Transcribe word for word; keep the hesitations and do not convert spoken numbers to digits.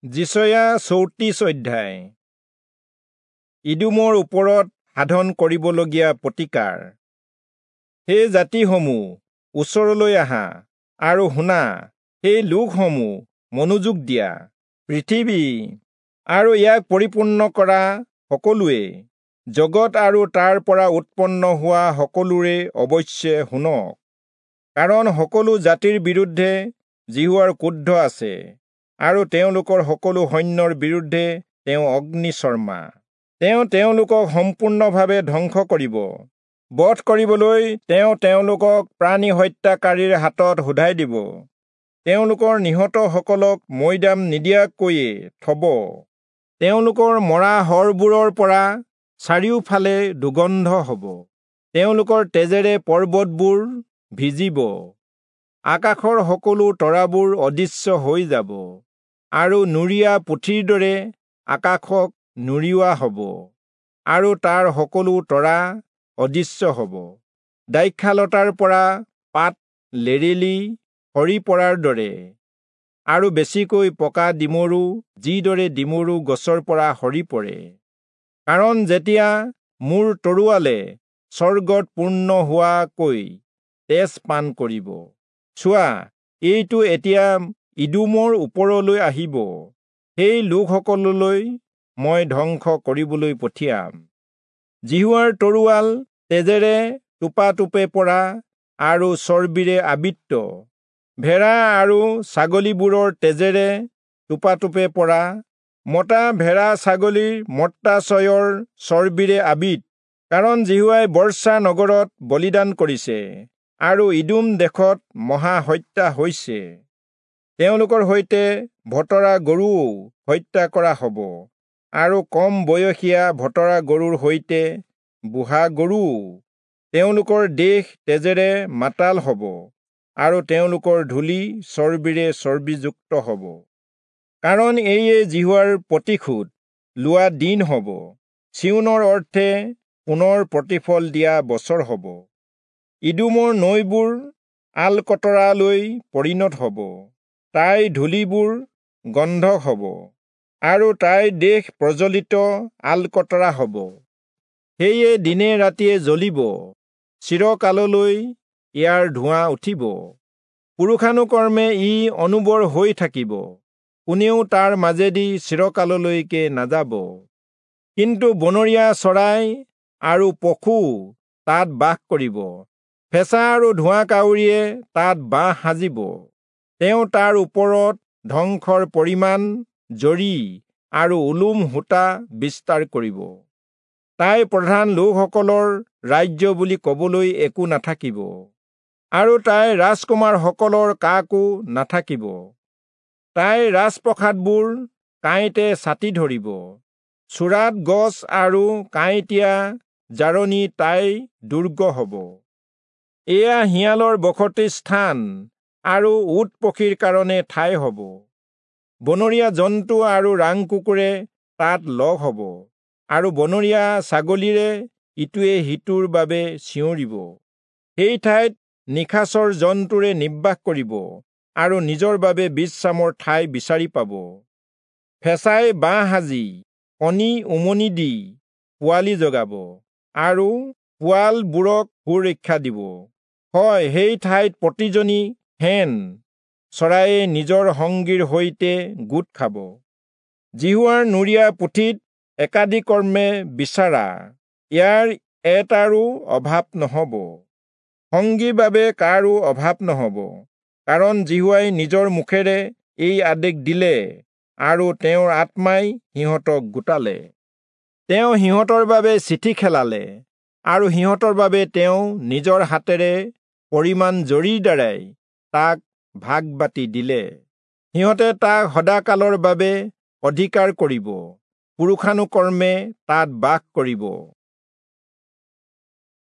যিচয়া চৌত্ৰিশ অধ্যায়। ইদোমৰ ওপৰত সাধন কৰিবলগীয়া প্ৰতিকাৰ। হে জাতিসমূহ, ওচৰলৈ আহা আৰু শুনা, সেই লোকসমূহ মনোযোগ দিয়া। পৃথিৱী আৰু ইয়াক পৰিপূৰ্ণ কৰা সকলোৱে, জগত আৰু তাৰ পৰা উৎপন্ন হোৱা সকলোৰে অৱশ্যে শুনক। কাৰণ সকলো জাতিৰ বিৰুদ্ধে যিহোৱাৰ ক্ৰোধ আছে, আৰু তেওঁলোকৰ সকলো সৈন্যৰ বিৰুদ্ধে তেওঁ অগ্নিশৰ্মা। তেওঁ তেওঁলোকক সম্পূৰ্ণভাৱে ধ্বংস কৰিব। বধ কৰিবলৈ তেওঁ তেওঁলোকক প্ৰাণী হত্যাকাৰীৰ হাতত শোধাই দিব। তেওঁলোকৰ নিহতসকলক মৈদাম নিদিয়াকৈয়ে থব। তেওঁলোকৰ মৰা শৰবোৰৰ পৰা চাৰিওফালে দুৰ্গন্ধ হ'ব। তেওঁলোকৰ তেজেৰে পৰ্বতবোৰ ভিজিব। আকাশৰ সকলো তৰাবোৰ অদৃশ্য হৈ যাব, আৰু নুৰিয়া পুথিৰ দৰে আকাশক নুৰিওৱা হ'ব, আৰু তাৰ সকলো তৰা অদৃশ্য হ'ব। দ্ৰাক্ষালতাৰ পৰা পাত লেৰেলি সৰি পৰাৰ দৰে, আৰু বেছিকৈ পকা ডিমৰু যিদৰে ডিমৰু গছৰ পৰা সৰি পৰে। কাৰণ যেতিয়া মোৰ তৰোৱালে স্বৰ্গত পূৰ্ণ হোৱাকৈ তেজ পান কৰিব, চোৱা, এইটো এতিয়া ইদোমৰ ওপৰলৈ আহিব। সেই লোকসকললৈ মই ধ্বংস কৰিবলৈ পঠিয়াম। যিহোৱাৰ তৰোৱাল তেজেৰে টোপাটোপে পৰা আৰু চৰ্বিৰে আবৃত, ভেড়া আৰু ছাগলীবোৰৰ তেজেৰে টোপাটোপে পৰা, মতা ভেড়া ছাগলীৰ মত্তাচয়ৰ চৰ্বিৰে আবৃত। কাৰণ যিহোৱাই বৰ্ষা নগৰত বলিদান কৰিছে, আৰু ইদোম দেশত মহা হত্যা হৈছে। তেওঁলোকৰ সৈতে ভতৰা গৰুও হত্যা কৰা হ'ব, আৰু কম বয়সীয়া ভতৰা গৰুৰ সৈতে বুঢ়া গৰুও। তেওঁলোকৰ দেশ তেজেৰে মাতাল হ'ব, আৰু তেওঁলোকৰ ধূলি চৰ্বিৰে চৰ্বিযুক্ত হ'ব। কাৰণ এয়ে যিহোৱাৰ প্ৰতিশোধ লোৱা দিন হ'ব, চিয়োনৰ অৰ্থে পুনৰ প্ৰতিফল দিয়া বছৰ হ'ব। ইদোমৰ নৈবোৰ আলকতৰালৈ পৰিণত হ'ব, তাইৰ ধূলিবোৰ গন্ধক হ'ব, আৰু তাইৰ দেশ প্ৰজ্বলিত আলকতৰা হ'ব। সেয়ে দিনে ৰাতিয়ে জ্বলিব, চিৰকাললৈ ইয়াৰ ধোঁৱা উঠিব। পুৰুষানুকৰ্মে ই অনুবৰ হৈ থাকিব, কোনেও তাৰ মাজেদি চিৰকাললৈকে নাযাব। কিন্তু বনৰীয়া চৰাই আৰু পশু তাত বাস কৰিব, ফেঁচা আৰু ধোঁৱা কাউৰীয়ে তাত বাহ সাজিব। তেওঁ তাৰ ওপৰত ধ্বংসৰ পৰিমাণ জৰী আৰু ওলোম সূতা বিস্তাৰ কৰিব। তাইৰ প্ৰধান লোকসকলৰ ৰাজ্য বুলি কবলৈ একো নাথাকিব, আৰু তাইৰ ৰাজকুমাৰসকলৰ কাকো নাথাকিব। তাইৰ ৰাজপ্ৰসাদবোৰ কাঁইটে ছাটি ধৰিব, চোৰাত গছ আৰু কাঁইটীয়া জাৰণি তাইৰ দুৰ্গ হ'ব। এয়া শিয়ালৰ বসতি স্থান আৰু উট পক্ষীৰ কাৰণে ঠাই হ'ব। বনৰীয়া জন্তু আৰু ৰাং কুকুৰে তাত লগ হ'ব, আৰু বনৰীয়া ছাগলীৰে ইটোৱে সিটোৰ বাবে চিঞৰিব। সেই ঠাইত নিশাচৰ জন্তুৰে নিবাস কৰিব, আৰু নিজৰ বাবে বিশ্ৰামৰ ঠাই বিচাৰি পাব। ফেঁচাই বাঁহ সাজি কণী উমনি দি পোৱালি জগাব, আৰু পোৱালবোৰক সুৰক্ষা দিব। হয়, সেই ঠাইত প্ৰতিজনী শেন চৰাইয়ে নিজৰ সংগীৰ সৈতে গোট খাব। যিহোৱাৰ নুৰিয়া পুথিত একাদিকৰ্মে বিচাৰা, ইয়াৰ এটাৰো অভাৱ নহ'ব। সংগীৰ বাবে কাৰো অভাৱ নহ'ব, কাৰণ যিহোৱাই নিজৰ মুখেৰে এই আদেশ দিলে, আৰু তেওঁৰ আত্মাই সিহঁতক গোটালে। তেওঁ সিহঁতৰ বাবে চিঠি খেলালে, আৰু সিহঁতৰ বাবে তেওঁ নিজৰ হাতেৰে পৰিমাণ জৰীৰ দ্বাৰাই তাক ভাগ বাটি দিলে। সিহঁতে তাক সদাকালৰ বাবে অধিকাৰ কৰিব, পুৰুষানুকৰ্মে তাত বাস কৰিব।